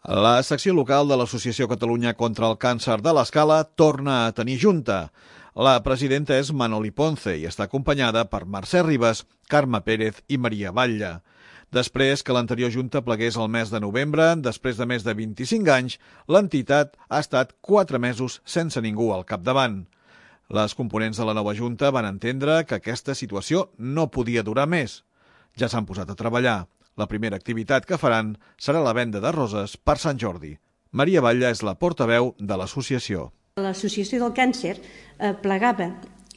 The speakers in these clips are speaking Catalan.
La secció local de l'Associació Catalunya contra el Càncer de l'Escala torna a tenir junta. La presidenta és Manoli Ponce i està acompanyada per Mercè Ribas, Carme Pérez i Maria Batlle. Després que l'anterior junta plegués el mes de novembre, després de més de 25 anys, l'entitat ha estat 4 mesos sense ningú al capdavant. Les components de la nova junta van entendre que aquesta situació no podia durar més. Ja s'han posat a treballar. La primera activitat que faran serà la venda de roses per Sant Jordi. Maria Batlle és la portaveu de l'associació. L'Associació del Càncer plegava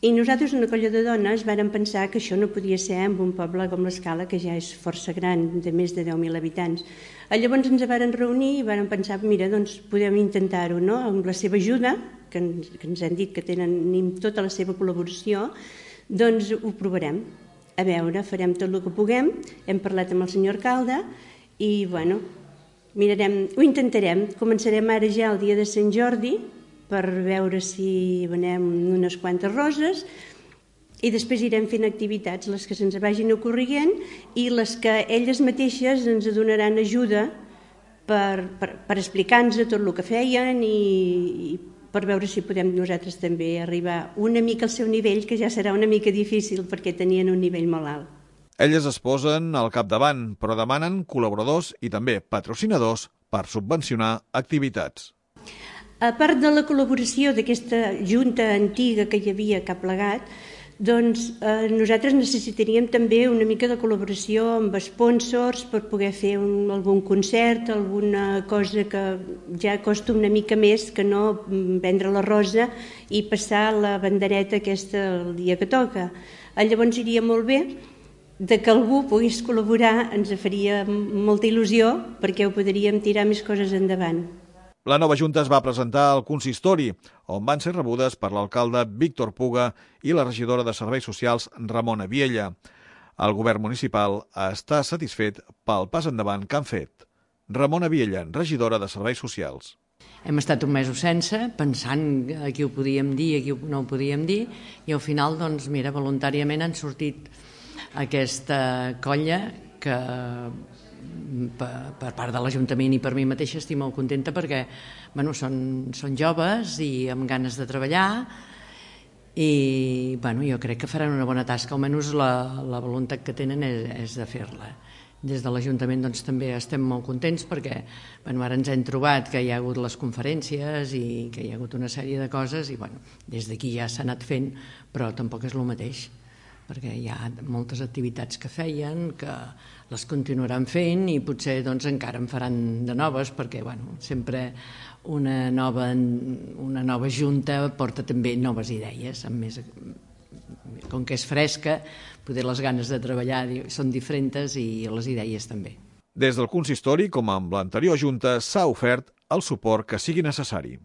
i nosaltres, una colla de dones, vàrem pensar que això no podia ser en un poble com l'Escala, que ja és força gran, de més de 10.000 habitants. Llavors ens vàrem reunir i vàrem pensar, mira, doncs podem intentar-ho, no? Amb la seva ajuda, que ens han dit que tenen tota la seva col·laboració, doncs ho provarem. A veure, farem tot el que puguem, hem parlat amb el senyor alcalde i, bueno, mirarem, ho intentarem. Començarem ara ja el dia de Sant Jordi per veure si venem unes quantes roses i després irem fent activitats, les que se'ns vagin ocorrent i les que elles mateixes ens donaran ajuda per explicar-nos tot el que feien i per veure si podem nosaltres també arribar una mica al seu nivell, que ja serà una mica difícil perquè tenien un nivell molt alt. Elles es posen al capdavant, però demanen col·laboradors i també patrocinadors per subvencionar activitats. A part de la col·laboració d'aquesta junta antiga que hi havia que ha plegat, doncs nosaltres necessitaríem també una mica de col·laboració amb sponsors per poder fer algun concert, alguna cosa que ja costa una mica més que no vendre la rosa i passar la bandereta aquesta el dia que toca. Llavors iria molt bé que algú pogués col·laborar, ens faria molta il·lusió perquè ho podríem tirar més coses endavant. La nova junta es va presentar al consistori, on van ser rebudes per l'alcalde Víctor Puga i la regidora de Serveis Socials Ramona Viella. El govern municipal està satisfet pel pas endavant que han fet. Ramona Viella, regidora de Serveis Socials. Hem estat un mes sense, pensant a qui ho podíem dir i a qui no ho podíem dir, i al final, doncs, mira, voluntàriament han sortit aquesta colla que per part de l'Ajuntament i per mi mateixa estic molt contenta perquè són joves i amb ganes de treballar i jo crec que faran una bona tasca, almenys la voluntat que tenen és de fer-la. Des de l'Ajuntament també estem molt contents perquè ara ens hem trobat que hi ha hagut les conferències i que hi ha hagut una sèrie de coses i des d'aquí ja s'ha anat fent, però tampoc és el mateix, perquè hi ha moltes activitats que feien, que les continuaran fent i potser encara en faran de noves, perquè sempre una nova junta porta també noves idees, com que és fresca, poder les ganes de treballar són diferents i les idees també. Des del consistori, com amb l'anterior junta, s'ha ofert el suport que sigui necessari.